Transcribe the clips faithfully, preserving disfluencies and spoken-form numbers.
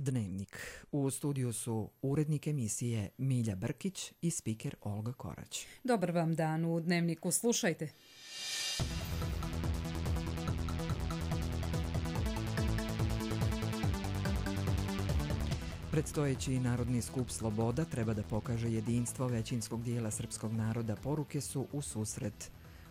Dnevnik. U studiju su urednik emisije Milja Brkić i spiker Olga Korać. Dobar vam dan, u Dnevniku slušajte. Predstojeći Narodni skup Sloboda treba da pokaže jedinstvo većinskog dijela srpskog naroda, poruke su u susret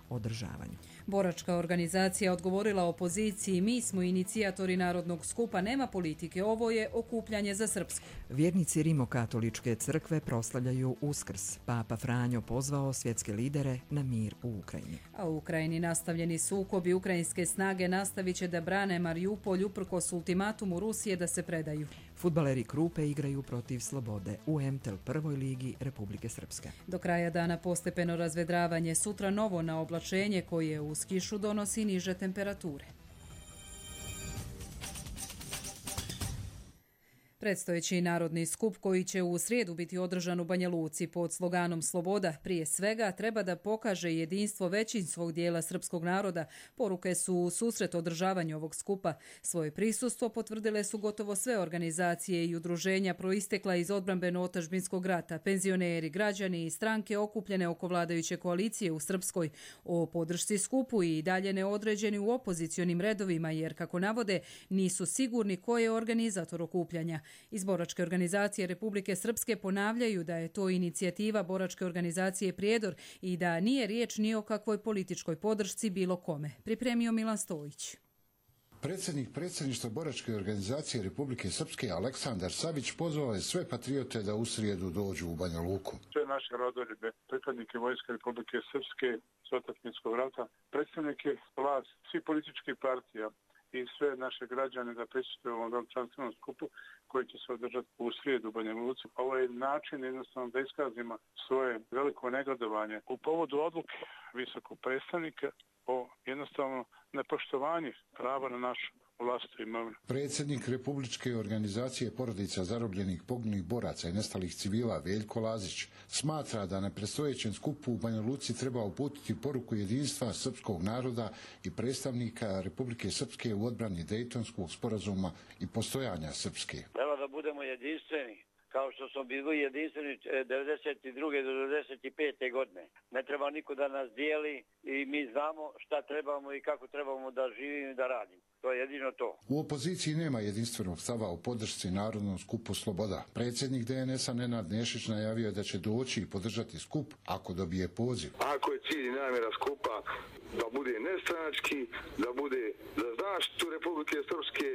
održavanju. Boračka organizacija odgovorila opoziciji: mi smo inicijatori Narodnog skupa, nema politike, ovo je okupljanje za Srpsku. Vjernici Rimokatoličke crkve proslavljaju Uskrs. Papa Franjo pozvao svjetske lidere na mir u Ukrajini. A u Ukrajini nastavljeni sukobi, ukrajinske snage nastavit će da brane Marijupolj uprkos ultimatumu Rusije da se predaju. Fudbaleri Krupe igraju protiv Slobode u M T L prvoj ligi Republike Srpske. Do kraja dana postepeno razvedravanje, sutra novo na oblačenje koje uz kišu donosi niže temperature. Predstojeći Narodni skup koji će u srijedu biti održan u Banja Luci pod sloganom Sloboda prije svega treba da pokaže jedinstvo većinskog dijela srpskog naroda. Poruke su u susret održavanju ovog skupa. Svoje prisustvo potvrdile su gotovo sve organizacije i udruženja proistekla iz odbrambeno-otadžbinskog rata, penzioneri, građani i stranke okupljene oko vladajuće koalicije u Srpskoj. O podršci skupu i dalje neodređeni u opozicionim redovima jer, kako navode, nisu sigurni ko je organizator okupljanja. Iz Boračke organizacije Republike Srpske ponavljaju da je to inicijativa Boračke organizacije Prijedor i da nije riječ ni o kakvoj političkoj podršci bilo kome. Pripremio Milan Stojić. Predsjednik predsjedništva Boračke organizacije Republike Srpske Aleksandar Savić pozvao je sve patriote da u srijedu dođu u Banja Luku. Sve naše rodoljube, pripadnike Vojske Republike Srpske, s otadžbinskog rata, predstavnike vlast, svih političkih partija i sve naše građane da prisustvuju ovom čanstvenom skupu koji će se održati u srijedu u Banja Luci. Ovo je način jednostavno da iskazimo svoje veliko negodovanje u povodu odluke visokog predstavnika o jednostavno nepoštovanju prava na našu vlastitu imovinu. Predsjednik Republičke organizacije porodica zarobljenih, poginulih boraca i nestalih civila Veljko Lazić smatra da na predstojećem skupu u Banja Luci treba uputiti poruku jedinstva srpskog naroda i predstavnika Republike Srpske u odbrani Dejtonskog sporazuma i postojanja Srpske. Treba da budemo jedinstveni, kao što smo bili jedinstveni devedeset druge do devedeset pete godine. Ne treba niko da nas dijeli i mi znamo šta trebamo i kako trebamo da živimo i da radimo. To je jedino to. U opoziciji nema jedinstvenog stava o podršci Narodnom skupu Sloboda. Predsjednik D N S-a Nenad Nešić najavio da će doći i podržati skup ako dobije poziv. Ako je cilj i namjera skupa da bude nestranački, da bude za zaštitu Republike Srpske,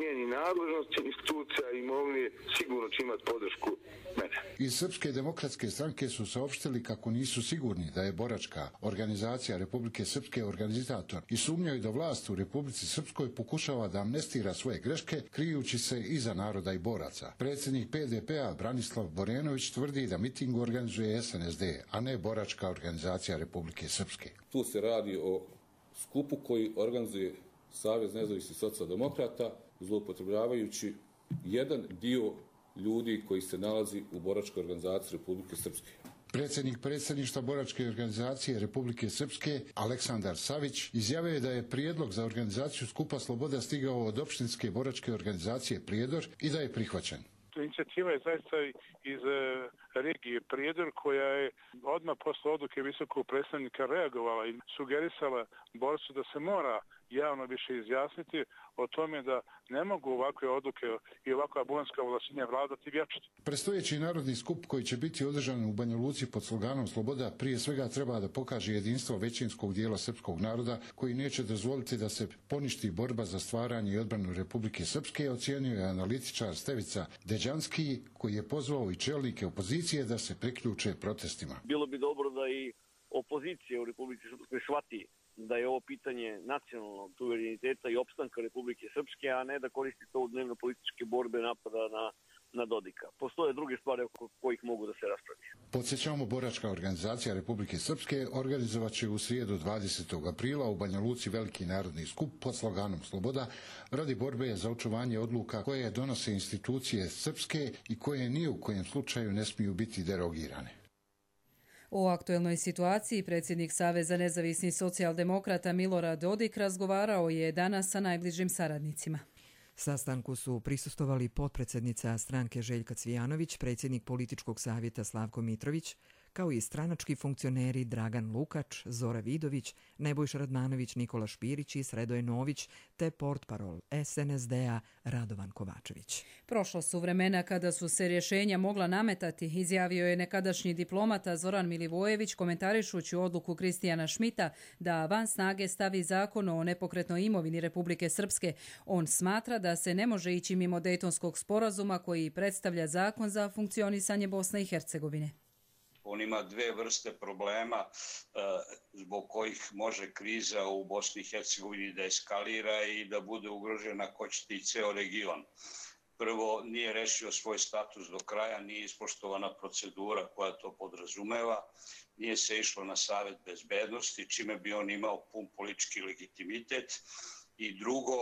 njeni nadležnosti, institucija i imovine, sigurno će imati podršku mene. Iz Srpske demokratske stranke su saopštili kako nisu sigurni da je Boračka organizacija Republike Srpske organizator i sumnjaju da vlast u Republici Srpskoj pokušava da amnestira svoje greške krijući se iza naroda i boraca. Predsjednik P D P-a Branislav Borenović tvrdi da miting organizuje S N S D, a ne Boračka organizacija Republike Srpske. Tu se radi o skupu koji organizuje Savez nezavisnih socijaldemokrata zloupotrebljavajući jedan dio ljudi koji se nalazi u Boračkoj organizaciji Republike Srpske. Predsjednik predsjedništva Boračke organizacije Republike Srpske Aleksandar Savić izjavio je da je prijedlog za organizaciju skupa Sloboda stigao od opštinske Boračke organizacije Prijedor i da je prihvaćen. Inicijativa je zaista iz regije Prijedor koja je odmah posle odluke visokog predstavnika reagovala i sugerisala borcu da se mora javno više izjasniti o tome da ne mogu ovakve odluke i ovakva bulanska ovlašćenja vladati vječito. Predstojeći Narodni skup koji će biti održan u Banja Luci pod sloganom Sloboda prije svega treba da pokaže jedinstvo većinskog dijela srpskog naroda koji neće dozvoliti da se poništi borba za stvaranje i odbranu Republike Srpske, ocijenio je analitičar Stevica Deđanski koji je pozvao i čelnike opozicije da se priključe protestima. Bilo bi dobro da i opozicija u Republike Srpskoj shvati da je ovo pitanje nacionalnog suvereniteta i opstanka Republike Srpske, a ne da koristi to u dnevno političke borbe napada na, na Dodika. Postoje druge stvari oko kojih mogu da se raspravi. Podsjećamo, Boračka organizacija Republike Srpske organizovat će u srijedu dvadesetog aprila u Banja Luci veliki narodni skup pod sloganom Sloboda radi borbe za očuvanje odluka koje donose institucije srpske i koje ni u kojem slučaju ne smiju biti derogirane. O aktuelnoj situaciji predsjednik Saveza nezavisnih socijaldemokrata Milorad Dodik razgovarao je danas sa najbližim saradnicima. Sastanku su prisustvovali potpredsjednica stranke Željka Cvijanović, predsjednik političkog savjeta Slavko Mitrović, kao i stranački funkcioneri Dragan Lukač, Zora Vidović, Nebojša Radmanović, Nikola Špirić i Sredoje Nović, te portparol S N S D-a Radovan Kovačević. Prošlo su vremena kada su se rješenja mogla nametati, izjavio je nekadašnji diplomata Zoran Milivojević komentarišući odluku Kristijana Šmita da van snage stavi zakon o nepokretnoj imovini Republike Srpske. On smatra da se ne može ići mimo Dejtonskog sporazuma koji predstavlja zakon za funkcionisanje Bosne i Hercegovine. On ima dve vrste problema zbog kojih može kriza u Bosni i Hercegovini da eskalira i da bude ugrožena ako ćete i ceo region. Prvo, nije rešio svoj status do kraja, nije ispoštovana procedura koja to podrazumeva, nije se išlo na Savet bezbednosti, čime bi on imao pun politički legitimitet. I drugo,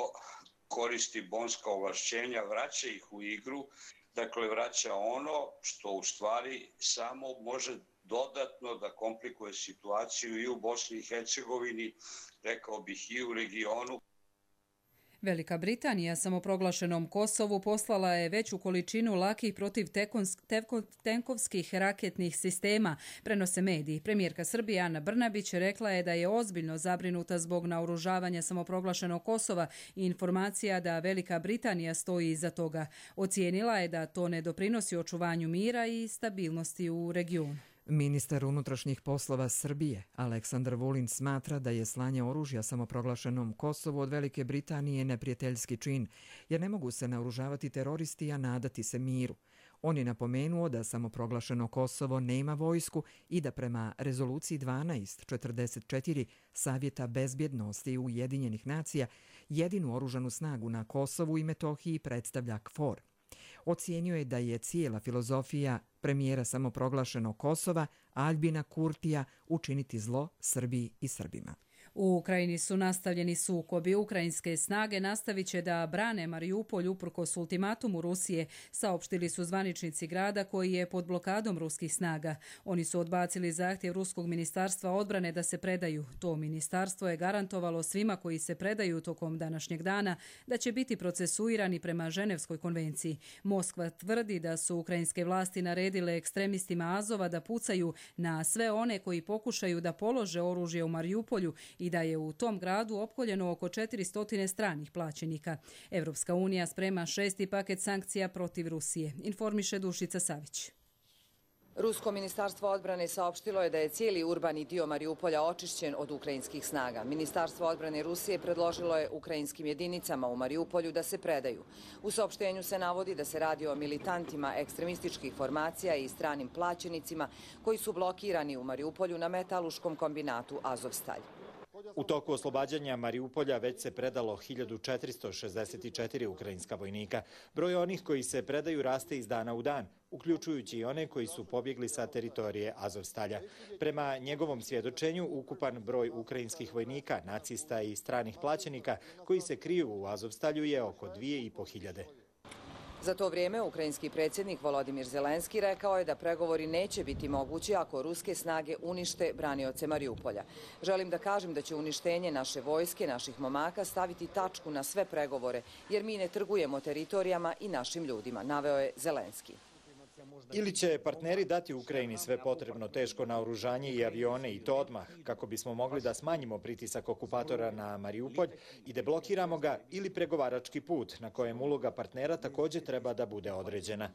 koristi bonska ovlašćenja, vraća ih u igru. Dakle, vraća ono što u stvari samo može dodatno da komplikuje situaciju i u Bosni i Hercegovini, rekao bih i u regionu. Velika Britanija samoproglašenom Kosovu poslala je veću količinu lakih protivtenkovskih raketnih sistema, prenose mediji. Premijerka Srbije Ana Brnabić rekla je da je ozbiljno zabrinuta zbog naoružavanja samoproglašenog Kosova i informacija da Velika Britanija stoji iza toga. Ocijenila je da to ne doprinosi očuvanju mira i stabilnosti u regionu. Ministar unutrašnjih poslova Srbije Aleksandar Vulin smatra da je slanje oružja samoproglašenom Kosovu od Velike Britanije neprijateljski čin, jer ne mogu se naoružavati teroristi, a nadati se miru. On je napomenuo da samoproglašeno Kosovo nema vojsku i da prema rezoluciji dvanaest četrdeset četiri Savjeta bezbjednosti Ujedinjenih nacija jedinu oružanu snagu na Kosovu i Metohiji predstavlja KFOR. Ocijenio je da je cijela filozofija premijera samoproglašenog Kosova Aljbina Kurtija učiniti zlo Srbiji i Srbima. U Ukrajini su nastavljeni sukobi. Ukrajinske snage nastavit će da brane Mariupolj uprkos ultimatumu Rusije, saopštili su zvaničnici grada koji je pod blokadom ruskih snaga. Oni su odbacili zahtjev Ruskog ministarstva odbrane da se predaju. To ministarstvo je garantovalo svima koji se predaju tokom današnjeg dana da će biti procesuirani prema Ženevskoj konvenciji. Moskva tvrdi da su ukrajinske vlasti naredile ekstremistima Azova da pucaju na sve one koji pokušaju da polože oružje u Mariupolju i da je u tom gradu opkoljeno oko četiristo stranih plaćenika. Evropska unija sprema šesti paket sankcija protiv Rusije, informiše Dušica Savić. Rusko ministarstvo odbrane saopštilo je da je cijeli urbani dio Mariupolja očišćen od ukrajinskih snaga. Ministarstvo odbrane Rusije predložilo je ukrajinskim jedinicama u Mariupolju da se predaju. U saopštenju se navodi da se radi o militantima ekstremističkih formacija i stranim plaćenicima koji su blokirani u Mariupolju na metaluškom kombinatu Azovstalj. U toku oslobađanja Mariupolja već se predalo hiljadu četiristo šezdeset četiri ukrajinska vojnika. Broj onih koji se predaju raste iz dana u dan, uključujući i one koji su pobjegli sa teritorije Azovstalja. Prema njegovom svjedočenju, ukupan broj ukrajinskih vojnika, nacista i stranih plaćenika koji se kriju u Azovstalju je oko dvije i po hiljade. Za to vrijeme ukrajinski predsjednik Volodimir Zelenski rekao je da pregovori neće biti mogući ako ruske snage unište branioce Mariupolja. Želim da kažem da će uništenje naše vojske, naših momaka staviti tačku na sve pregovore, jer mi ne trgujemo teritorijama i našim ljudima, naveo je Zelenski. Ili će partneri dati Ukrajini sve potrebno teško naoružanje i avione i to odmah, kako bismo mogli da smanjimo pritisak okupatora na Mariupolj i deblokiramo ga, ili pregovarački put na kojem uloga partnera također treba da bude određena.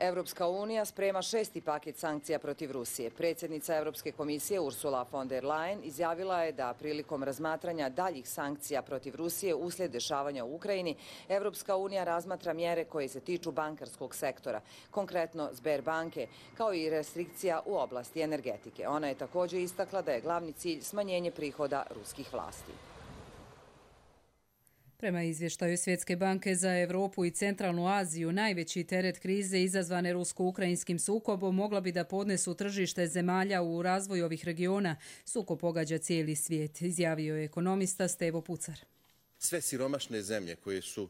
Evropska unija sprema šesti paket sankcija protiv Rusije. Predsjednica Evropske komisije Ursula von der Leyen izjavila je da prilikom razmatranja daljih sankcija protiv Rusije uslijed dešavanja u Ukrajini, Evropska unija razmatra mjere koje se tiču bankarskog sektora, konkretno Sberbanke, kao i restrikcija u oblasti energetike. Ona je također istakla da je glavni cilj smanjenje prihoda ruskih vlasti. Prema izvještaju Svjetske banke za Europu i Centralnu Aziju, najveći teret krize izazvane rusko-ukrajinskim sukobom mogla bi da podnesu tržište zemalja u razvoju ovih regiona. Sukob pogađa cijeli svijet, izjavio je ekonomista Stevo Pucar. Sve siromašne zemlje koje su uh,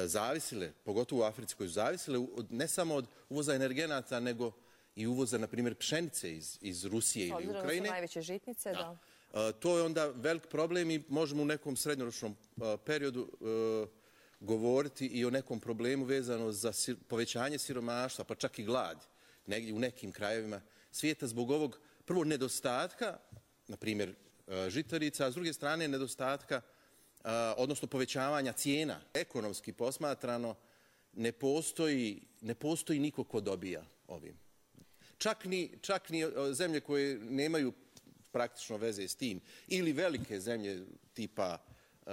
zavisile, pogotovo u Africi, koje su zavisile od, ne samo od uvoza energenata, nego i uvoza, na primjer, pšenice iz, iz Rusije ili Ukrajine. Obzirom su najveće žitnice, da. da. Uh, to je onda velik problem i možemo u nekom srednjoročnom uh, periodu uh, govoriti i o nekom problemu vezano za povećanje siromaštva, pa čak i glad negdje u nekim krajevima svijeta zbog ovog prvo nedostatka, na primjer žitarica, a s druge strane nedostatka, odnosno povećavanja cijena. Ekonomski posmatrano ne postoji, ne postoji niko ko dobija ovim. Čak ni, čak ni zemlje koje nemaju praktično veze s tim ili velike zemlje tipa uh,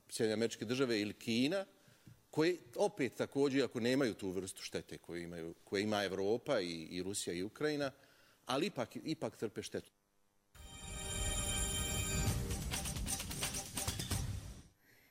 Sjedinjene Američke Države ili Kina, koje opet također, ako nemaju tu vrstu štete koju, imaju, koje ima Evropa i, i Rusija i Ukrajina, ali ipak, ipak trpe štetu.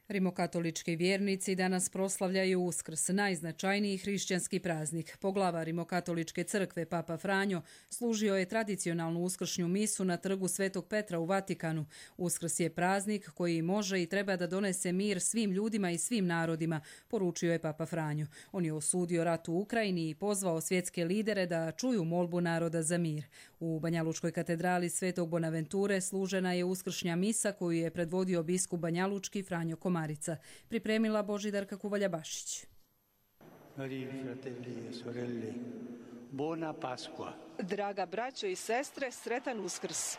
Rimokatolički vjernici danas proslavljaju Uskrs, najznačajniji hrišćanski praznik. Poglava Rimokatoličke crkve, Papa Franjo, služio je tradicionalnu uskršnju misu na trgu Svetog Petra u Vatikanu. Uskrs je praznik koji može i treba da donese mir svim ljudima i svim narodima, poručio je Papa Franjo. On je osudio rat u Ukrajini i pozvao svjetske lidere da čuju molbu naroda za mir. U Banjalučkoj katedrali Svetog Bonaventure služena je uskršnja misa koju je predvodio biskup banjalučki Franjo Komarica. Pripremila Božidarka Kuvalja-Bašić. Draga braćo i sestre, sretan Uskrs.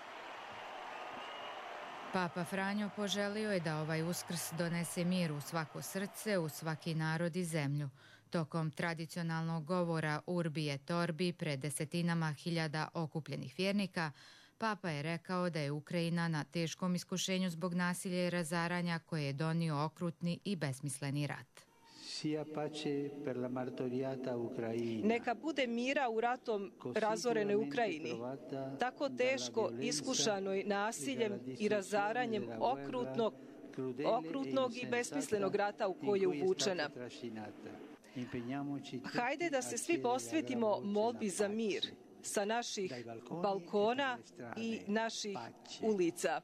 Papa Franjo poželio je da ovaj Uskrs donese mir u svako srce, u svaki narod i zemlju. Tokom tradicionalnog govora Urbi et Orbi pred desetinama hiljada okupljenih vjernika, Papa je rekao da je Ukrajina na teškom iskušenju zbog nasilja i razaranja koje je donio okrutni i besmisleni rat. Neka bude mira u ratom razorenoj Ukrajini, tako teško iskušanoj nasiljem i razaranjem okrutnog, okrutnog i besmislenog rata u koji je uvučena. Hajde da se svi posvetimo molbi za mir sa naših balkona i naših ulica.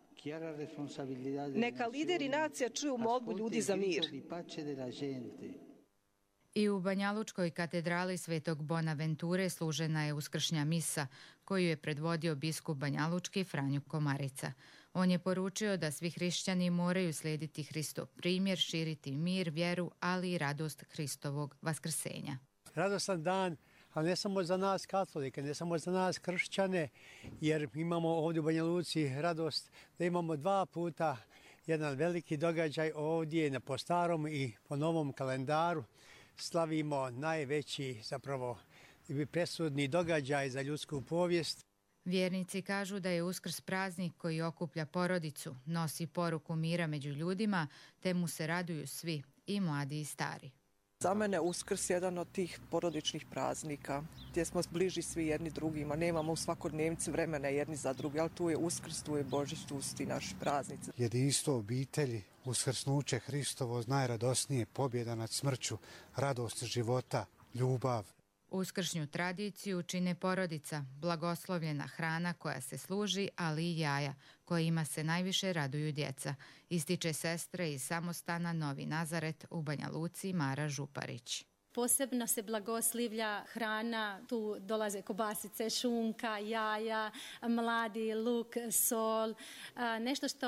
Neka lideri nacija čuju molbu ljudi za mir. I u Banjalučkoj katedrali Svetog Bonaventure služena je uskršnja misa koju je predvodio biskup banjalučki Franjo Komarica. On je poručio da svi hrišćani moraju slijediti Hristov primjer, širiti mir, vjeru, ali i radost Hristovog vaskrsenja. Radostan dan, ali ne samo za nas katolike, ne samo za nas kršćane, jer imamo ovdje u Banja Luci radost da imamo dva puta jedan veliki događaj ovdje na po starom i po novom kalendaru. Slavimo najveći, zapravo presudni događaj za ljudsku povijest. Vjernici kažu da je Uskrs praznik koji okuplja porodicu, nosi poruku mira među ljudima, te mu se raduju svi, i mladi i stari. Za mene Uskrs je jedan od tih porodičnih praznika gdje smo bliži svi jedni drugima. Nemamo u svakodnevnici vremena jedni za drugi, ali tu je Uskrs, tu je Božić, tu su ti naši praznici. Jedinstvo obitelji, uskrsnuće Hristovo, najradosnije, pobjeda nad smrću, radost života, ljubav. Uskršnju tradiciju čine porodica, blagoslovljena hrana koja se služi, ali i jaja, kojima se najviše raduju djeca, ističe sestre iz samostana Novi Nazaret u Banja Luci Mara Župarić. Posebno se blagoslivlja hrana, tu dolaze kobasice, šunka, jaja, mladi luk, sol, nešto što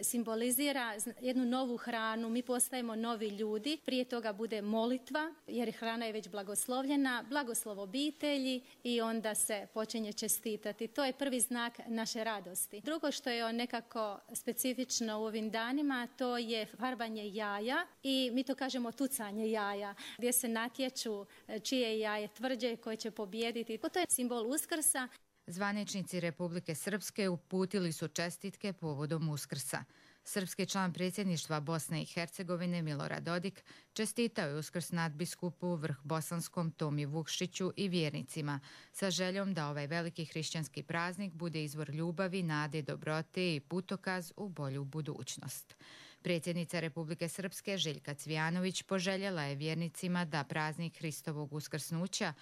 simbolizira jednu novu hranu. Mi postajemo novi ljudi, prije toga bude molitva jer hrana je već blagoslovljena, blagoslov obitelji i onda se počinje čestitati. To je prvi znak naše radosti. Drugo što je nekako specifično u ovim danima, to je farbanje jaja i mi to kažemo tucanje jaja, gdje se natječu čije jaje tvrđe koje će pobijediti. To je simbol Uskrsa. Zvaničnici Republike Srpske uputili su čestitke povodom Uskrsa. Srpski član predsjedništva Bosne i Hercegovine Milorad Dodik čestitao je Uskrs nadbiskupu Vrh Bosanskom Tomi Vukšiću i vjernicima sa željom da ovaj veliki hrišćanski praznik bude izvor ljubavi, nade, dobrote i putokaz u bolju budućnost. Predsjednica Republike Srpske Željka Cvijanović poželjela je vjernicima da praznik Hristovog uskrsnuća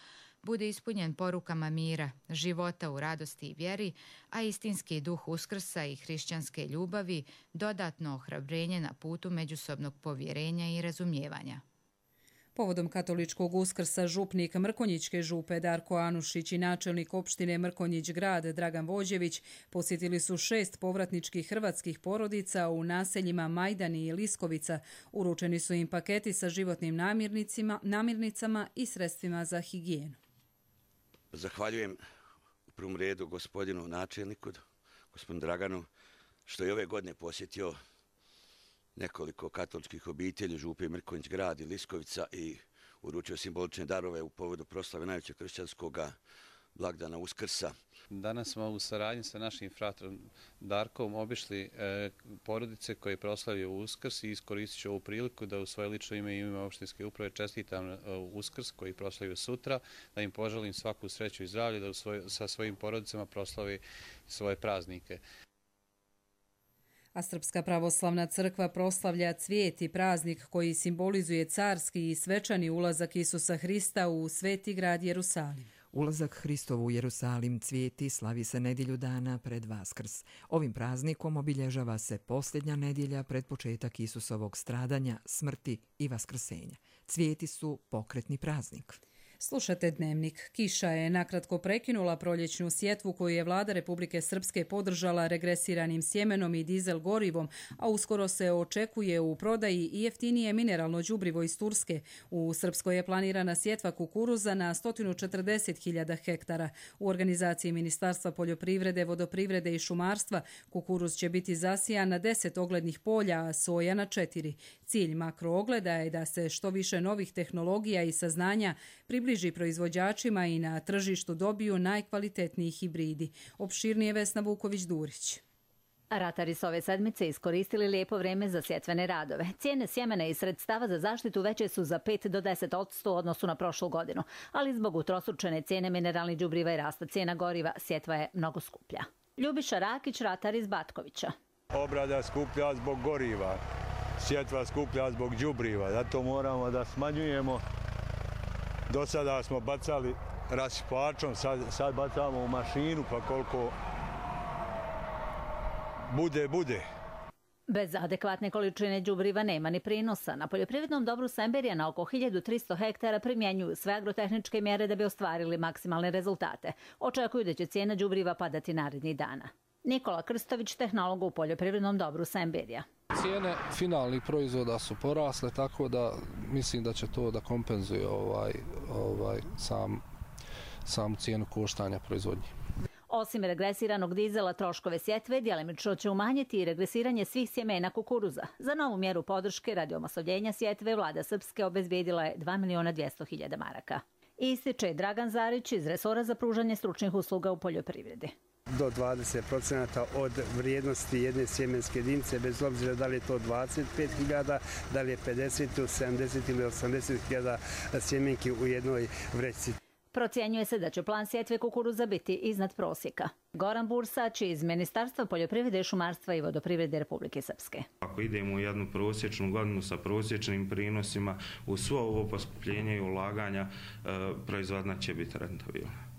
bude ispunjen porukama mira, života u radosti i vjeri, a istinski duh Uskrsa i hrišćanske ljubavi dodatno ohrabrenje na putu međusobnog povjerenja i razumijevanja. Povodom katoličkog Uskrsa župnik Mrkonjićke župe Darko Anušić i načelnik opštine Mrkonjić grad Dragan Vođević posjetili su šest povratničkih hrvatskih porodica u naseljima Majdani i Liskovica. Uručeni su im paketi sa životnim namirnicama i sredstvima za higijenu. Zahvaljujem u prvom redu gospodinu načelniku, gospodinu Draganu, što je ove godine posjetio nekoliko katoličkih obitelji, župe Mrkonjić grad i Liskovica i uručio simbolične darove u povodu proslave najvećeg kršćanskog blagdana Uskrsa. Danas smo u saradnji sa našim fratrom Darkom obišli e, porodice koje proslavljaju Uskrs i iskoristit ću ovu priliku da u svoje lično ime i ime opštinske uprave čestitam e, Uskrs koji proslavljaju sutra, da im poželim svaku sreću i zdravlje, da u svoj, sa svojim porodicama proslavi svoje praznike. A Srpska pravoslavna crkva proslavlja cvijet i praznik koji simbolizuje carski i svečani ulazak Isusa Hrista u sveti grad Jerusalim. Ulazak Hristov u Jerusalim cvijeti slavi se nedjelju dana pred Vaskrs. Ovim praznikom obilježava se posljednja nedjelja pred početak Isusovog stradanja, smrti i vaskrsenja. Cvijeti su pokretni praznik. Slušate Dnevnik. Kiša je nakratko prekinula proljećnu sjetvu koju je vlada Republike Srpske podržala regresiranim sjemenom i dizel gorivom, a uskoro se očekuje u prodaji i jeftinije mineralno đubrivo iz Turske. U Srpskoj je planirana sjetva kukuruza na sto četrdeset hiljada hektara. U organizaciji Ministarstva poljoprivrede, vodoprivrede i šumarstva kukuruz će biti zasijan na deset oglednih polja, a soja na četiri. Cilj makroogleda je da se što više novih tehnologija i saznanja približi proizvođačima i na tržištu dobiju najkvalitetniji hibridi. Opširnije Vesna Vuković-Durić. Ratari su ove sedmice iskoristili lijepo vreme za sjetvene radove. Cijene sjemena i sredstava za zaštitu veće su za pet do deset odsto u odnosu na prošlu godinu, ali zbog utrostručene cijene mineralnih đubriva i rasta cijena goriva, sjetva je mnogo skuplja. Ljubiša Rakić, ratar iz Batkovića. Obrada skuplja zbog goriva, sjetva skuplja zbog đubriva, zato moramo da smanjujemo. Do sada smo bacali rasipačom, sad, sad bacamo u mašinu, pa koliko bude, bude. Bez adekvatne količine đubriva nema ni prinosa. Na poljoprivrednom dobru Semberija na oko hiljadu tristo hektara primjenjuju sve agrotehničke mjere da bi ostvarili maksimalne rezultate. Očekuju da će cijena đubriva padati narednih dana. Nikola Krstović, tehnolog u poljoprivrednom dobru Semberija. Cijene finalnih proizvoda su porasle, tako da mislim da će to da kompenzuje ovaj, ovaj, sam, samu cijenu koštanja proizvodnje. Osim regresiranog dizela, troškove sjetve djelimično će umanjiti i regresiranje svih sjemena kukuruza. Za novu mjeru podrške radi omasovljenja sjetve vlada Srpske obezbijedila je dva miliona dvjesto hiljada maraka. Ističe Dragan Zarić iz resora za pružanje stručnih usluga u poljoprivredi. Do dvadeset procenata od vrijednosti jedne sjemenske jedinice, bez obzira da li je to dvadeset pet hiljada, da li je pedeset, sedamdeset ili osamdeset hiljada sjemenki u jednoj vrećici. Procjenjuje se da će plan sjetve kukuruza biti iznad prosjeka. Goran Bursać iz Ministarstva poljoprivrede, šumarstva i vodoprivrede Republike Srpske. Ako idemo u jednu prosječnu godinu sa prosječnim prinosima, u svo ovo poskupljenje i ulaganja proizvodnja će biti rentabilna.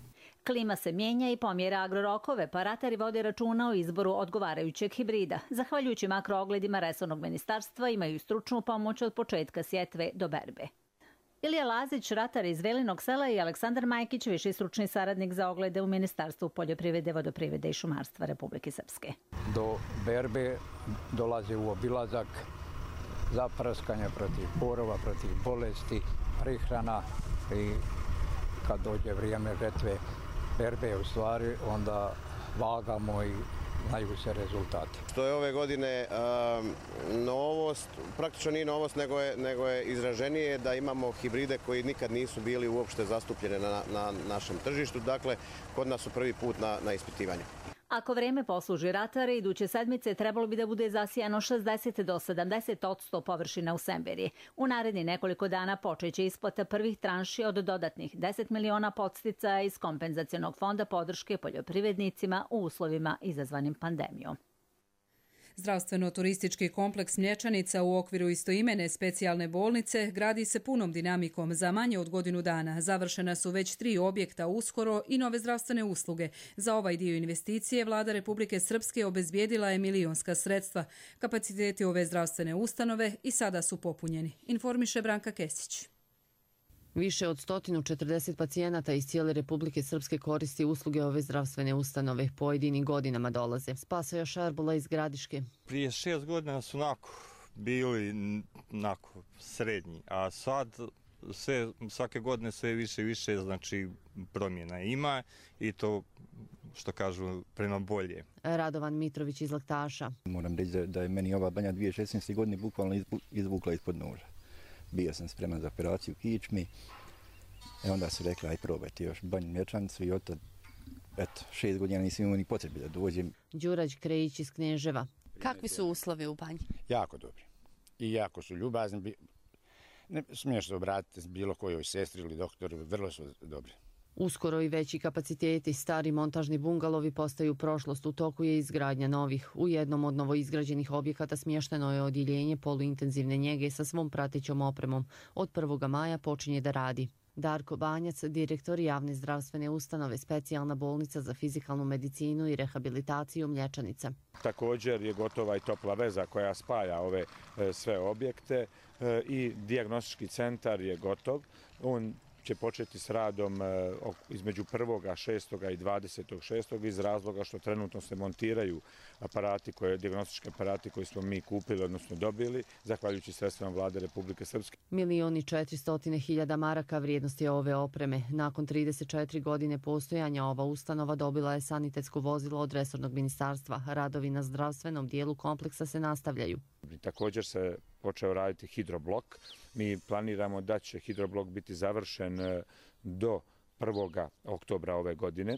Klima se mijenja i pomjera agrorokove, pa ratari vode računa o izboru odgovarajućeg hibrida. Zahvaljujući makroogledima resornog ministarstva imaju stručnu pomoć od početka sjetve do berbe. Ilija Lazić, ratar iz Velinog sela, i Aleksandar Majkić, viši stručni saradnik za oglede u Ministarstvu poljoprivrede, vodoprivrede i šumarstva Republike Srpske. Do berbe dolazi u obilazak zapraskanja protiv porova, protiv bolesti, prihrana i kad dođe vrijeme žetve berbe, u stvari, onda vagamo i znaju se rezultati. Što je ove godine um, novost, praktično nije novost, nego je, nego je izraženije da imamo hibride koji nikad nisu bili uopšte zastupljene na, na našem tržištu. Dakle, kod nas su prvi put na, na ispitivanju. Ako vreme posluži ratare, iduće sedmice trebalo bi da bude zasijano šezdeset do sedamdeset odsto površina u Semberiji. U naredni nekoliko dana počeće isplata prvih tranši od dodatnih deset miliona podsticaja iz kompenzacionog fonda podrške poljoprivrednicima u uslovima izazvanim pandemijom. Zdravstveno-turistički kompleks Mlječanica u okviru istoimene specijalne bolnice gradi se punom dinamikom za manje od godinu dana. Završena su već tri objekta uskoro i nove zdravstvene usluge. Za ovaj dio investicije vlada Republike Srpske obezbijedila je milionska sredstva. Kapaciteti ove zdravstvene ustanove i sada su popunjeni, informiše Branka Kesić. Više od sto četrdeset pacijenata iz cijele Republike Srpske koristi usluge ove zdravstvene ustanove. Pojedini godinama dolaze. Spasoje Šarbula iz Gradiške. Prije šest godina su onako bili onako srednji, a sad sve, svake godine sve više i više, znači promjena ima i to, što kažu, prema bolje. Radovan Mitrović iz Laktaša. Moram reći da je meni ova banja dvije tisuće šesnaeste. godine bukvalno izvukla ispod noža. Bio sam spreman za operaciju u kičmi i onda su rekli aj probajte još banju mječanicu i od eto, šest godina nisam imao ni potrebe da dođem. Đurađ Krejić iz Kneževa. Kakvi su uslovi u banji? Jako dobri. I jako su ljubazni. Ne smiješ se obratiti s bilo kojoj sestri ili doktoru, vrlo su dobri. Uskoro i veći kapaciteti, stari montažni bungalovi postaju prošlost, u toku je izgradnja novih. U jednom od novoizgrađenih objekata smješteno je odjeljenje poluintenzivne njege sa svom pratećom opremom. Od prvog maja počinje da radi. Darko Banjac, direktor javne zdravstvene ustanove, specijalna bolnica za fizikalnu medicinu i rehabilitaciju Mlječanica. Također je gotova i topla veza koja spaja ove e, sve objekte e, i dijagnostički centar je gotov. On će početi s radom između prvoga šestoga i dvadesetog šestog iz razloga što trenutno se montiraju aparati, koje, dijagnostički aparati koji smo mi kupili, odnosno dobili, zahvaljujući sredstvima Vlade Republike Srpske. Milioni četiristotine hiljada maraka vrijednosti je ove opreme. Nakon trideset četiri godine postojanja ova ustanova dobila je sanitetsko vozilo od resornog ministarstva. Radovi na zdravstvenom dijelu kompleksa se nastavljaju. Također se počeo raditi hidroblok. Mi planiramo da će hidroblok biti završen do prvoga oktobra ove godine.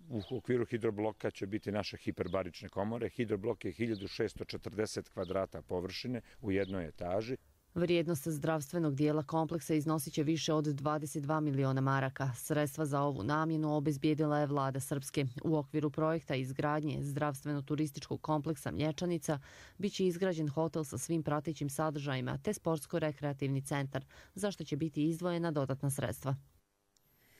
U okviru hidrobloka će biti naše hiperbarične komore. Hidroblok je hiljadu šesto četrdeset kvadrata površine u jednoj etaži. Vrijednost zdravstvenog dijela kompleksa iznosit će više od dvadeset dva miliona maraka. Sredstva za ovu namjenu obezbijedila je Vlada Srpske. U okviru projekta izgradnje zdravstveno-turističkog kompleksa Mlječanica biće izgrađen hotel sa svim pratećim sadržajima te sportsko-rekreativni centar, za što će biti izdvojena dodatna sredstva.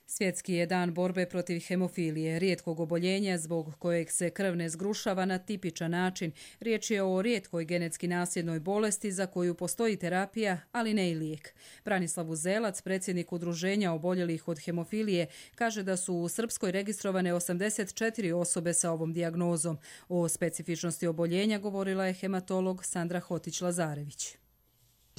Svjetski je dan borbe protiv hemofilije, rijetkog oboljenja zbog kojeg se krv ne zgrušava na tipičan način. Riječ je o rijetkoj genetski nasljednoj bolesti za koju postoji terapija, ali ne i lijek. Branislav Uzelac, predsjednik udruženja oboljelih od hemofilije, kaže da su u Srpskoj registrovane osamdeset četiri osobe sa ovom dijagnozom. O specifičnosti oboljenja govorila je hematolog Sandra Hotić-Lazarević.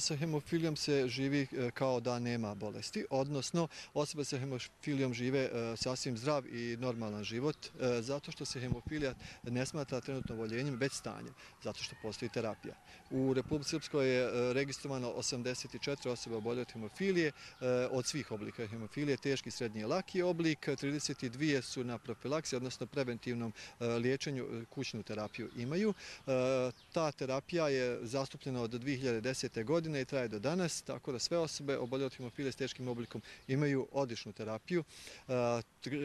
Sa hemofilijom se živi kao da nema bolesti, odnosno osobe sa hemofilijom žive sasvim zdrav i normalan život, zato što se hemofilija ne smatra trenutno oboljenjem, već stanjem, zato što postoji terapija. U Republici Srpskoj je registrovano osamdeset četiri osobe oboljele od hemofilije, od svih oblika hemofilije, teški, srednji i laki oblik, trideset dvije su na profilaksiji, odnosno preventivnom liječenju, kućnu terapiju imaju. Ta terapija je zastupljena od dvije hiljade desete. godine i traje do danas, tako da sve osobe oboljele od hemofilije s teškim oblikom imaju odličnu terapiju.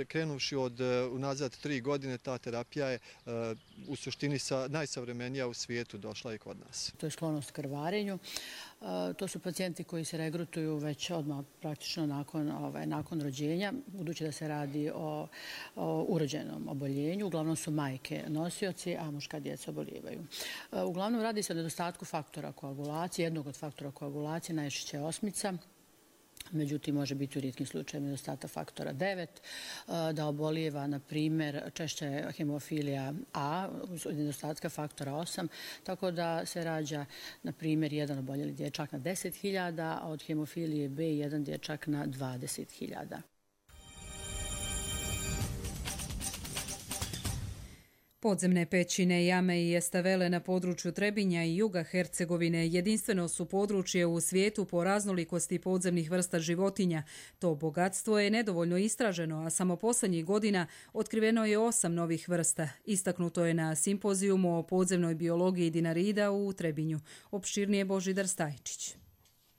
Krenuvši od unazad tri godine, ta terapija je u suštini najsavremenija u svijetu došla i kod nas. To je sklonost krvarenju. To su pacijenti koji se regrutuju već odmah praktično nakon, ovaj, nakon rođenja, budući da se radi o, o urođenom oboljenju. Uglavnom su majke nosioci, a muška djeca oboljevaju. Uglavnom radi se o nedostatku faktora koagulacije, jednog od faktora koagulacije, najčešće je osmica. Međutim, može biti u rijetkim slučajima nedostatak faktora devet, da obolijeva, na primjer, češće hemofilija A, nedostatka faktora osam, tako da se rađa, na primjer, jedan oboljeli dječak na deset hiljada, a od hemofilije B jedan dječak na dvadeset hiljada. Podzemne pećine, jame i estavele na području Trebinja i juga Hercegovine jedinstveno su područje u svijetu po raznolikosti podzemnih vrsta životinja. To bogatstvo je nedovoljno istraženo, a samo posljednjih godina otkriveno je osam novih vrsta. Istaknuto je na simpozijumu o podzemnoj biologiji Dinarida u Trebinju. Opširnije Božidar Stajčić.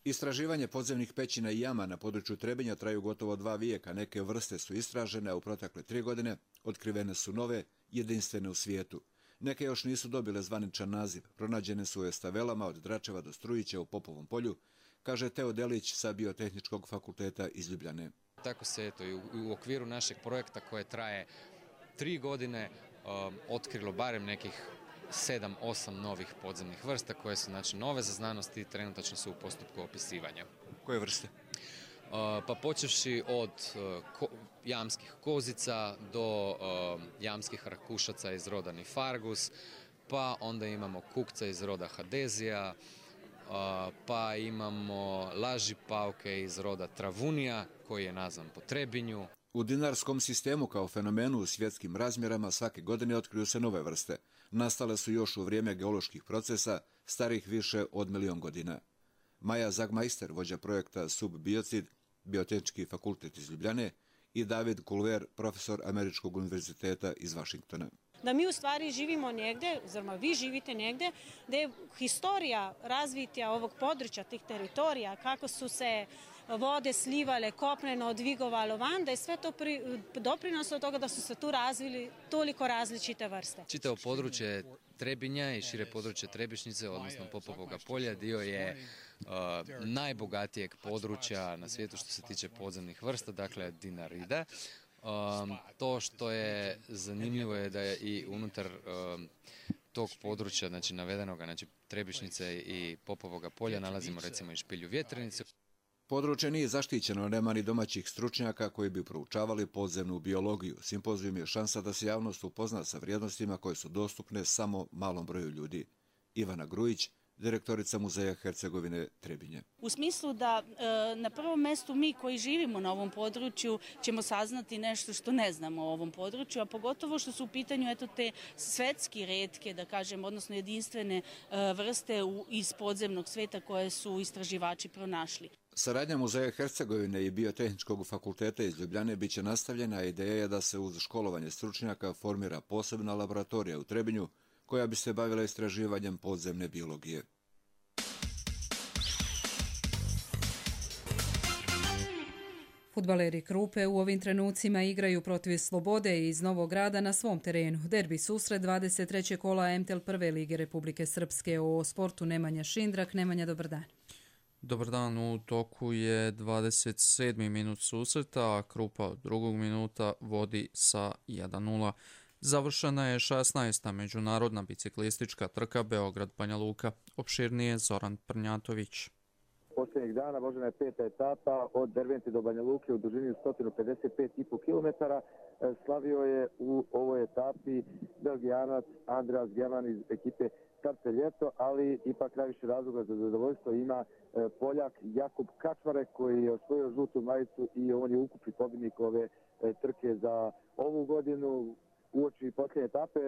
Istraživanje podzemnih pećina i jama na području Trebinja traju gotovo dva vijeka. Neke vrste su istražene, a u protekle tri godine otkrivene su nove, jedinstvene u svijetu. Neke još nisu dobile zvaničan naziv. Pronađene su u estavelama od Dračeva do Strujića u Popovom polju, kaže Teo Delić sa Biotehničkog fakulteta iz Ljubljane. Tako se eto, i u okviru našeg projekta koje traje tri godine um, otkrilo barem nekih sedam osam novih podzemnih vrsta koje su znači nove za znanost i trenutačno su u postupku opisivanja. Koje vrste? pa počevši od jamskih kozica do jamskih rakušaca iz roda Nifargus, pa onda imamo kukca iz roda Hadezija, pa imamo laži pauke iz roda Travunija, koji je nazvan po Trebinju. U dinarskom sistemu kao fenomenu u svjetskim razmjerama svake godine otkriju se nove vrste. Nastale su još u vrijeme geoloških procesa, starih više od milion godina. Maja Zagmajster, vođa projekta Subbiocid, Biotehnički fakultet iz Ljubljane, i David Kulver, profesor Američkog univerziteta iz Vašingtona. Da mi u stvari živimo negdje, oziroma vi živite negdje, da je historija razvitja ovog područja, tih teritorija, kako su se vode slivale, kopneno odvigovalo van, da je sve to doprinos od toga da su se tu razvili toliko različite vrste. Čitavo područje Trebinja i šire područje Trebišnjice, odnosno Popovoga polja, dio je uh, najbogatijeg područja na svijetu što se tiče podzemnih vrsta, dakle Dinarida. Um, to što je zanimljivo je da je i unutar um, tog područja, znači navedenoga, znači Trebišnjice i Popovoga polja, nalazimo recimo i špilju vjetrenice. Područje nije zaštićeno, nema ni domaćih stručnjaka koji bi proučavali podzemnu biologiju. Simpozijum je šansa da se javnost upozna sa vrijednostima koje su dostupne samo malom broju ljudi. Ivana Grujić, direktorica Muzeja Hercegovine Trebinje. U smislu da e, na prvom mjestu mi koji živimo na ovom području ćemo saznati nešto što ne znamo o ovom području, a pogotovo što su u pitanju eto, te svetski retke, da kažem, odnosno jedinstvene e, vrste u, iz podzemnog sveta koje su istraživači pronašli. Saradnja Muzeja Hercegovine i Biotehničkog fakulteta iz Ljubljane biće nastavljena, a ideja je da se uz školovanje stručnjaka formira posebna laboratorija u Trebinju koja bi se bavila istraživanjem podzemne biologije. Fudbaleri Krupe u ovim trenucima igraju protiv Slobode iz Novog Grada na svom terenu. Derbi susret dvadeset trećeg kola M T L prve lige Republike Srpske. O sportu Nemanja Šindrak. Nemanja, dobar dan. Dobar dan, u toku je dvadeset sedmi minut susreta, a Krupa od drugog minuta vodi sa jedan nula. Završena je šesnaesta međunarodna biciklistička trka Beograd-Banja Luka. Opširnije Zoran Prnjatović. Posljednjeg dana vožena je peta etapa od Dervente do Banja Luke u dužini sto pedeset pet zarez pet kilometara. Slavio je u ovoj etapi Belgijanac Andreas Geman iz ekipe Starce Ljeto, ali ipak najviše razloga za zadovoljstvo ima Poljak Jakub Kačmarek koji je osvojio žutu majicu i on je ukupni pobjednik ove trke za ovu godinu. Uoči posljednje etape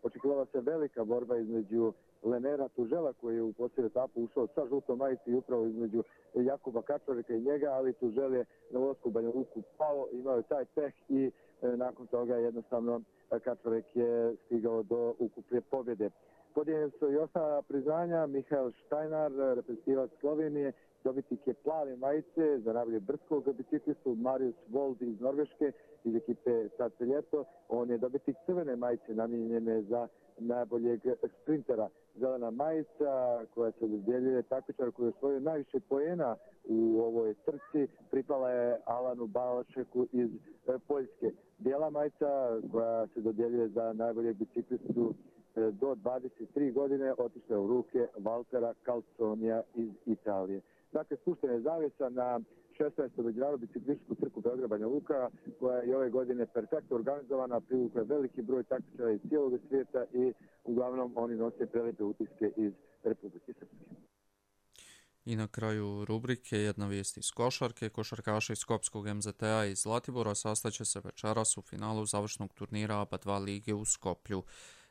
očekivala se velika borba između Lenera Tužela koji je u posljednju etapu ušao sa žutom majici i upravo između Jakuba Kačmareka i njega, ali Tužel je na ulasku u Banja Luku pao, imao je taj peh i e, nakon toga jednostavno Kačmarek je stigao do ukupne pobjede. Podijeljene su i ostala priznanja. Mihael Štajnar, reprezentativac Slovenije, dobitnik je plave majice za najbolje brdskog biciklistu, Marius Wold iz Norveške, iz ekipe Starce Ljeto. On je dobitnik crvene majice namijenjene za najboljeg sprintera. Zelena majica koja se dodjeljuje takmičaru koji je osvojio najviše poena u ovoj trci pripala je Alanu Balašeku iz Poljske. Bijela majica koja se dodjeljuje za najboljeg biciklistu do dvadeset tri godine otišla u ruke Valtera Calzonija iz Italije. Dakle, spuštena je zavjesa na šesnaestu međunarodnu biciklističku trku Beograd-Banja Luka, koja je i ove godine perfektno organizovana, privukla veliki broj takmičara iz cijelog svijeta i uglavnom oni nose prelijepe utiske iz Republike Srpske. I na kraju rubrike jedna vijest iz košarke. Košarkaši Skopskog M Z T A iz Zlatibora sastaće se večeras u finalu završnog turnira A B A dva lige u Skoplju.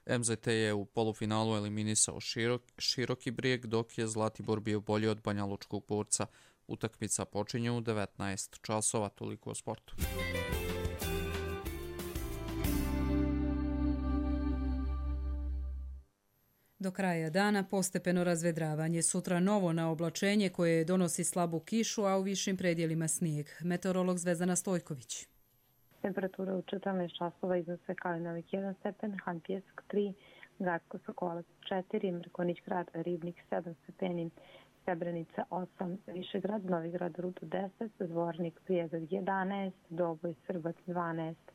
M Z T je u polufinalu eliminisao širok, Široki Brijeg, dok je Zlatibor bio bolji od Banjalučkog borca. Utakmica počinje u devetnaest časova, toliko o sportu. Do kraja dana postepeno razvedravanje. Sutra novo na oblačenje koje donosi slabu kišu, a u višim predjelima snijeg. Meteorolog Zvezdana Stojković. Temperatura u četrnaest časova iznose Kalinovik jedan stepen, Han Pjesak tri, Gacko Sokolac četiri, Mrkonić grad Ribnik sedam stepeni, Srebrenica osam, Višegrad, Novigrad Rudo deset, Zvornik Prijedor jedanaest, Doboj Srbac dvanaest,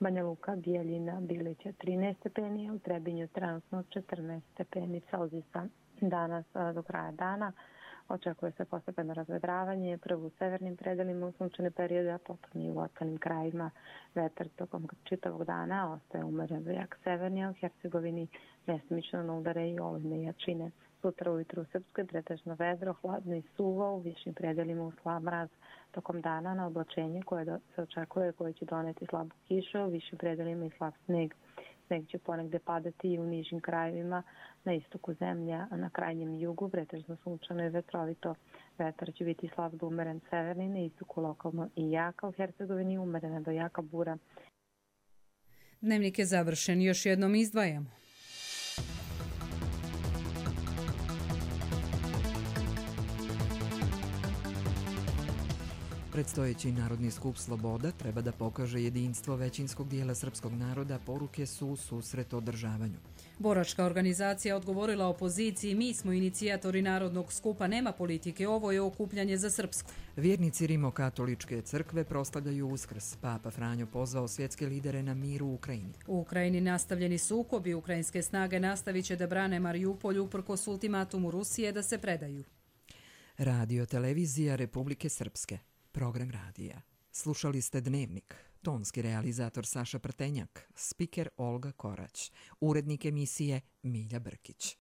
Banja Luka, Bijeljina, Bilića trinaest stepeni, u Trebinju trenutno četrnaest stepeni Celzijusa. Danas do kraja dana Očekuje se postepeno razvedravanje, prvo u severnim predelima u sunčane periode, a potom i u ostalim krajima. Vetar tokom čitavog dana ostaje umeren do jak severni, a u Hercegovini mjestimično na udare i olujne jačine. Sutra ujutru u Srpskoj pretežno vedro, hladno i suvo, u višim predelima u slab mraz. Tokom dana na oblačenje koje se očekuje koje će doneti slabu kišu, u višim predelima i slab sneg. Sneg će ponegde padati i u nižim krajevima, na istoku zemlje, a na krajnjem jugu pretežno sunčano i vetrovito. Vetar će biti slab do umeren severni, na istoku lokalno i jaka, u Hercegovini umerena do jaka bura. Dnevnik je završen, još jednom izdvajamo. Predstojeći Narodni skup Sloboda treba da pokaže jedinstvo većinskog dijela srpskog naroda, poruke su u susret održavanju. Boračka organizacija odgovorila opoziciji: mi smo inicijatori Narodnog skupa, nema politike, ovo je okupljanje za Srpsku. Vjernici Rimokatoličke crkve proslavljaju Uskrs. Papa Franjo pozvao svjetske lidere na mir u Ukrajini. U Ukrajini nastavljeni sukobi, ukrajinske snage nastavit će da brane Marijupolj uprkos ultimatumu Rusije da se predaju. Radio televizija Republike Srpske. Program radija. Slušali ste Dnevnik. Tonski realizator Saša Prtenjak, spiker Olga Korać, urednik emisije Milja Brkić.